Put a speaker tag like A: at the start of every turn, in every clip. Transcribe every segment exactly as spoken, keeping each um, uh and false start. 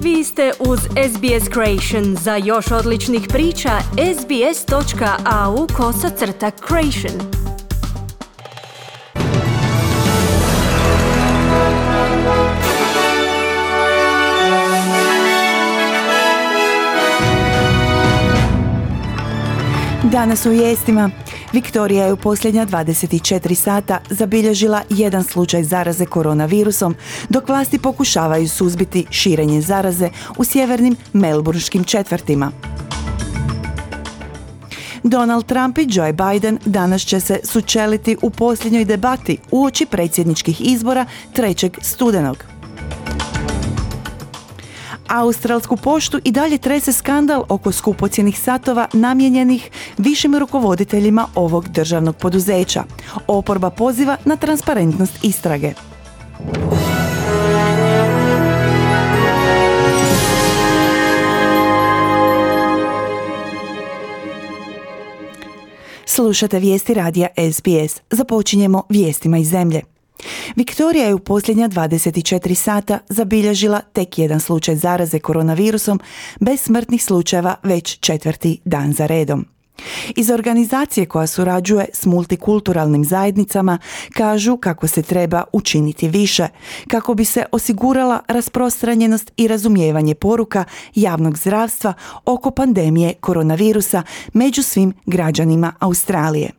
A: Vi ste uz S B S Creation. Za još odličnih priča, sbs.au kosacrta creation.
B: Danas u vijestima. Viktorija je u posljednja dvadeset četiri sata zabilježila jedan slučaj zaraze koronavirusom, dok vlasti pokušavaju suzbiti širenje zaraze u sjevernim melburnskim četvrtima. Donald Trump i Joe Biden danas će se sučeliti u posljednjoj debati uoči predsjedničkih izbora trećeg studenog. Australsku poštu i dalje trese skandal oko skupocjenih satova namijenjenih višim rukovoditeljima ovog državnog poduzeća. Oporba poziva na transparentnost istrage. Slušate vijesti radija S B S. Započinjemo vijestima iz zemlje. Viktorija je u posljednja dvadeset četiri sata zabilježila tek jedan slučaj zaraze koronavirusom bez smrtnih slučajeva već četvrti dan za redom. Iz organizacije koja surađuje s multikulturalnim zajednicama kažu kako se treba učiniti više, kako bi se osigurala rasprostranjenost i razumijevanje poruka javnog zdravstva oko pandemije koronavirusa među svim građanima Australije.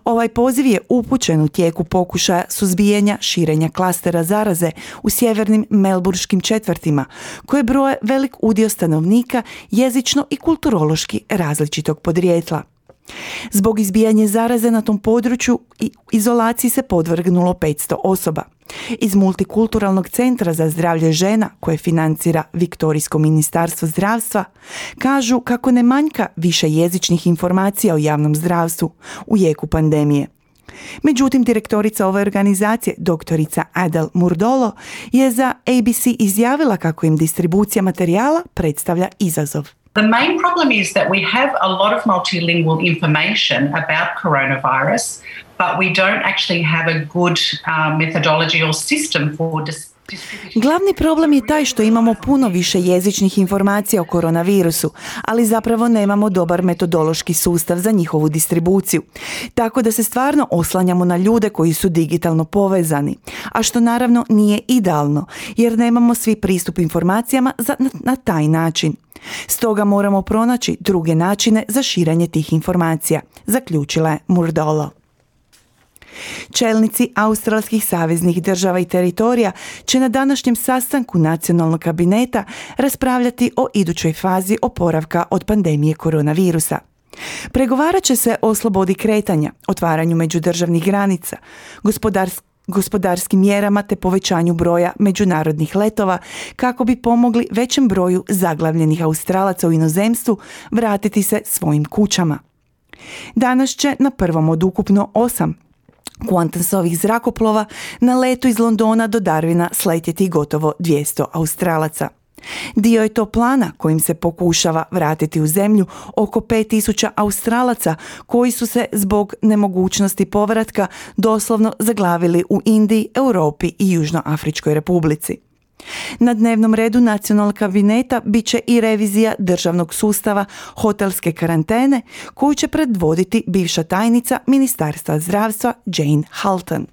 B: Ovaj poziv je upućen u tijeku pokušaja suzbijanja širenja klastera zaraze u sjevernim melburnskim četvrtima, koje broje velik udio stanovnika jezično i kulturološki različitog podrijetla. Zbog izbijanja zaraze na tom području i izolaciji se podvrgnulo petsto osoba. Iz Multikulturalnog centra za zdravlje žena, koje financira Viktorijsko ministarstvo zdravstva, kažu kako ne manjka više jezičnih informacija o javnom zdravstvu u jeku pandemije. Međutim, direktorica ove organizacije, doktorica Adele Murdolo, je za A B C izjavila kako im distribucija materijala predstavlja izazov.
C: The main problem is that we have a lot of multilingual information about coronavirus, but we don't actually have a good uh, methodology or system for dis-
B: Glavni problem je taj što imamo puno više jezičnih informacija o koronavirusu, ali zapravo nemamo dobar metodološki sustav za njihovu distribuciju. Tako da se stvarno oslanjamo na ljude koji su digitalno povezani, a što naravno nije idealno, jer nemamo svi pristup informacijama za, na, na taj način. Stoga moramo pronaći druge načine za širenje tih informacija, zaključila je Murdolo. Čelnici australskih saveznih država i teritorija će na današnjem sastanku nacionalnog kabineta raspravljati o idućoj fazi oporavka od pandemije koronavirusa. Pregovarat će se o slobodi kretanja, otvaranju međudržavnih granica, gospodarskim gospodarskim mjerama te povećanju broja međunarodnih letova kako bi pomogli većem broju zaglavljenih Australaca u inozemstvu vratiti se svojim kućama. Danas će na prvom od ukupno osam Qantasovih zrakoplova na letu iz Londona do Darwina sletjeti gotovo dvjesto Australaca. Dio je to plana kojim se pokušava vratiti u zemlju oko pet tisuća Australaca koji su se zbog nemogućnosti povratka doslovno zaglavili u Indiji, Europi i Južnoafričkoj republici. Na dnevnom redu nacionalnog kabineta bit će i revizija državnog sustava hotelske karantene koju će predvoditi bivša tajnica Ministarstva zdravstva Jane Halton.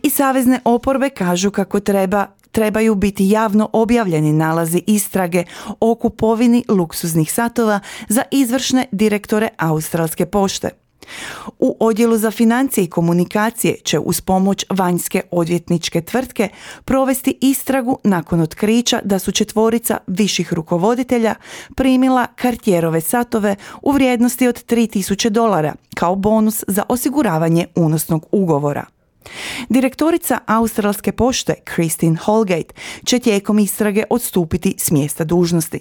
B: I savezne oporbe kažu kako treba trebaju biti javno objavljeni nalazi istrage o kupovini luksuznih satova za izvršne direktore Australske pošte. U odjelu za financije i komunikacije će uz pomoć vanjske odvjetničke tvrtke provesti istragu nakon otkrića da su četvorica viših rukovoditelja primila Cartierove satove u vrijednosti od tri tisuće dolara kao bonus za osiguravanje unosnog ugovora. Direktorica Australske pošte Christine Holgate će tijekom istrage odstupiti s mjesta dužnosti.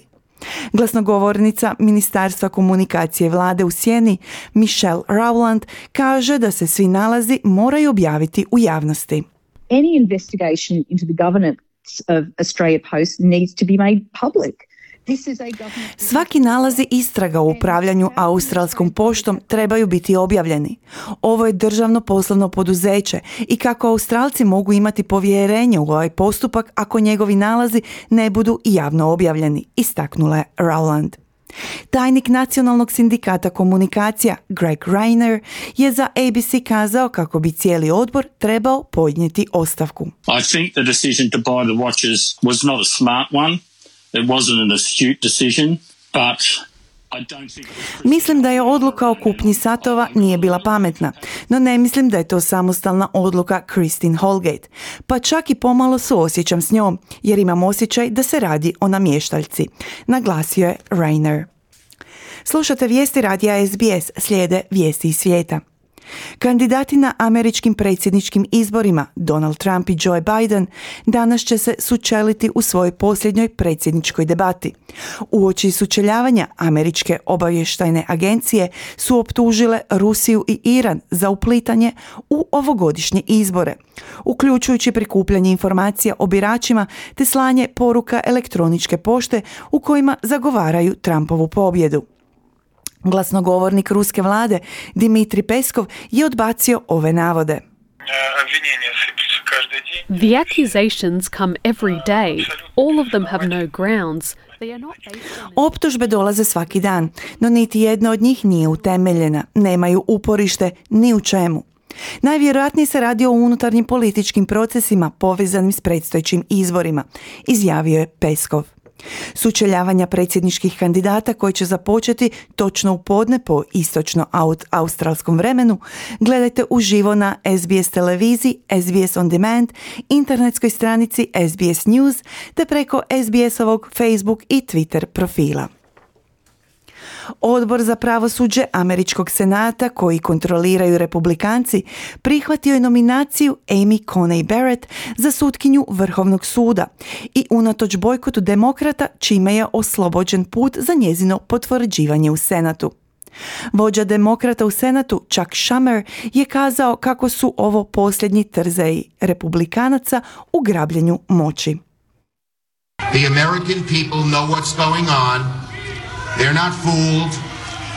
B: Glasnogovornica Ministarstva komunikacije vlade u sjeni Michelle Rowland kaže da se svi nalazi moraju objaviti u javnosti.
D: Any investigation into the governance of Australia Post needs to be made public.
B: Svaki nalazi istraga u upravljanju australskom poštom trebaju biti objavljeni. Ovo je državno poslovno poduzeće i kako Australci mogu imati povjerenje u ovaj postupak ako njegovi nalazi ne budu javno objavljeni, istaknula je Rowland. Tajnik Nacionalnog sindikata komunikacija Greg Rayner je za A B C kazao kako bi cijeli odbor trebao podnijeti ostavku.
D: I think the decision to buy the watches was not a smart one. It wasn't an astute decision, but I don't think...
B: Mislim da je odluka o kupnji satova nije bila pametna, no ne mislim da je to samostalna odluka Christine Holgate. Pa čak i pomalo suosjećam s njom, jer imam osjećaj da se radi o namještaljci, naglasio je Rayner. Slušate vijesti radija S B S, slijede vijesti iz svijeta. Kandidati na američkim predsjedničkim izborima Donald Trump i Joe Biden danas će se sučeliti u svojoj posljednjoj predsjedničkoj debati. Uoči sučeljavanja američke obavještajne agencije su optužile Rusiju i Iran za uplitanje u ovogodišnje izbore, uključujući prikupljanje informacija o biračima te slanje poruka elektroničke pošte u kojima zagovaraju Trumpovu pobjedu. Glasnogovornik ruske vlade Dmitrij Peskov je odbacio ove navode.
E: The accusations come every day. All of them have no grounds. They are not based on...
B: Optužbe dolaze svaki dan, no niti jedna od njih nije utemeljena, nemaju uporište ni u čemu. Najvjerojatnije se radi o unutarnjim političkim procesima povezanim s predstojećim izborima, izjavio je Peskov. Sučeljavanja predsjedničkih kandidata koji će započeti točno u podne po istočno-australskom vremenu gledajte uživo na S B S televiziji, S B S On Demand, internetskoj stranici S B S News te preko S B S-ovog Facebook i Twitter profila. Odbor za pravosuđe Američkog senata, koji kontroliraju Republikanci, prihvatio je nominaciju Amy Coney Barrett za sutkinju Vrhovnog suda i unatoč bojkotu demokrata, čime je oslobođen put za njezino potvrđivanje u Senatu. Vođa demokrata u Senatu Chuck Schumer je kazao kako su ovo posljednji trzaji Republikanaca u grabljenju moći.
F: The American people know what's going on. They're not fooled.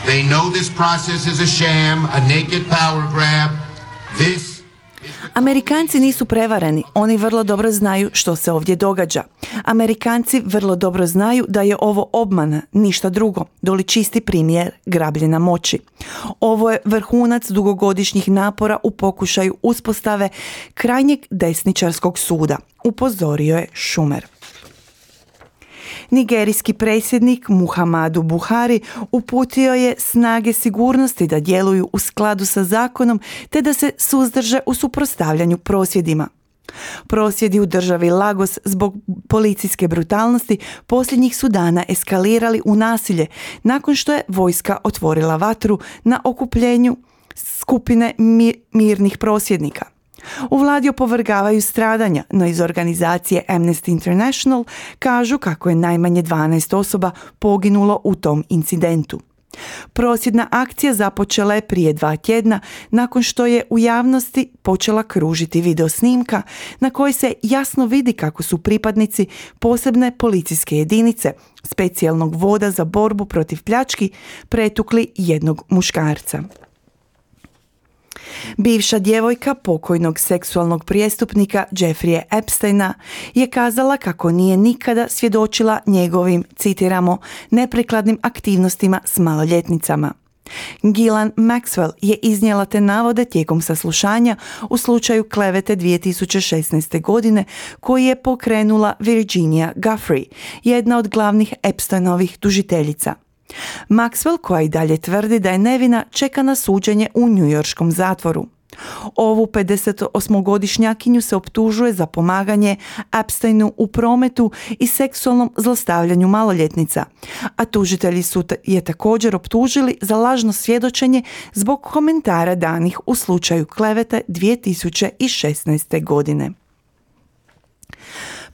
F: They know this process is a sham, a naked power grab. This
B: Amerikanci nisu prevareni, oni vrlo dobro znaju što se ovdje događa. Amerikanci vrlo dobro znaju da je ovo obmana, ništa drugo, doli čisti primjer grabljenja moći. Ovo je vrhunac dugogodišnjih napora u pokušaju uspostave krajnjeg desničarskog suda, upozorio je Schumer. Nigerijski predsjednik Muhammadu Buhari uputio je snage sigurnosti da djeluju u skladu sa zakonom te da se suzdrže u suprotstavljanju prosvjedima. Prosvjedi u državi Lagos zbog policijske brutalnosti posljednjih su dana eskalirali u nasilje nakon što je vojska otvorila vatru na okupljenju skupine mirnih prosvjednika. U vladi opovrgavaju stradanja, no iz organizacije Amnesty International kažu kako je najmanje dvanaest osoba poginulo u tom incidentu. Prosvjedna akcija započela je prije dva tjedna nakon što je u javnosti počela kružiti videosnimka na kojoj se jasno vidi kako su pripadnici posebne policijske jedinice, specijalnog voda za borbu protiv pljački, pretukli jednog muškarca. Bivša djevojka pokojnog seksualnog prijestupnika Jeffreyja Epsteina je kazala kako nije nikada svjedočila njegovim, citiramo, neprikladnim aktivnostima s maloljetnicama. Ghislaine Maxwell je iznijela te navode tijekom saslušanja u slučaju klevete dvije tisuće šesnaeste. godine koji je pokrenula Virginia Giuffre, jedna od glavnih Epsteinovih tužiteljica. Maxwell, koja i dalje tvrdi da je nevina, čeka na suđenje u njujorškom zatvoru. Ovu pedesetosmogodišnjakinju se optužuje za pomaganje Epsteinu u prometu i seksualnom zlostavljanju maloljetnica, a tužitelji su je također optužili za lažno svjedočenje zbog komentara danih u slučaju klevete dvije tisuće šesnaeste. godine.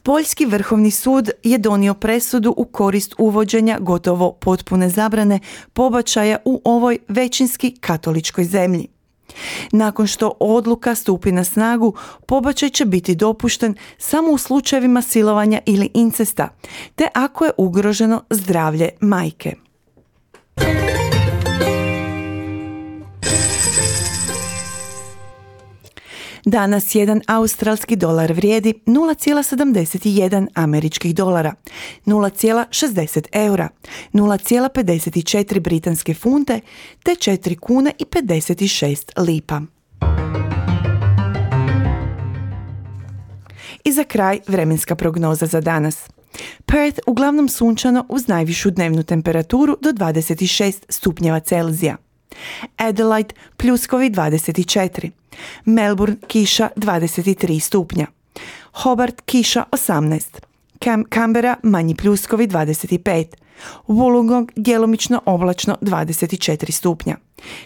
B: Poljski vrhovni sud je donio presudu u korist uvođenja gotovo potpune zabrane pobačaja u ovoj većinski katoličkoj zemlji. Nakon što odluka stupi na snagu, pobačaj će biti dopušten samo u slučajevima silovanja ili incesta, te ako je ugroženo zdravlje majke. Danas jedan australski dolar vrijedi nula zarez sedamdeset jedan američkih dolara, nula zarez šezdeset eura, nula zarez pedeset četiri britanske funte te četiri kune i pedeset šest lipa. I za kraj vremenska prognoza za danas. Perth uglavnom sunčano uz najvišu dnevnu temperaturu do dvadeset šest stupnjeva Celzija. Adelaide pljuskovi dvadeset četiri, Melbourne kiša dvadeset tri stupnja, Hobart kiša osamnaest, Cam- Canberra manji pljuskovi dvadeset pet, Wollongong djelomično oblačno dvadeset četiri stupnja,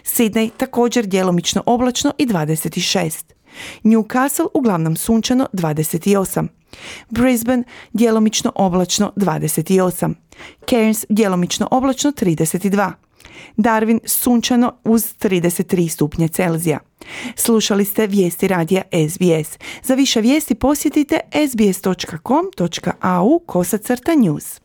B: Sydney također djelomično oblačno i dvadeset šest, Newcastle uglavnom sunčano dvadeset osam, Brisbane djelomično oblačno dvadeset osam, Cairns djelomično oblačno trideset dva, Darwin sunčano uz trideset tri stupnje Celzija. Slušali ste vijesti radija S B S. Za više vijesti posjetite sbs dot com dot a u kosacrta news.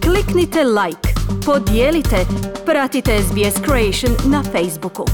A: Kliknite like, podijelite, pratite S B S Creation na Facebooku.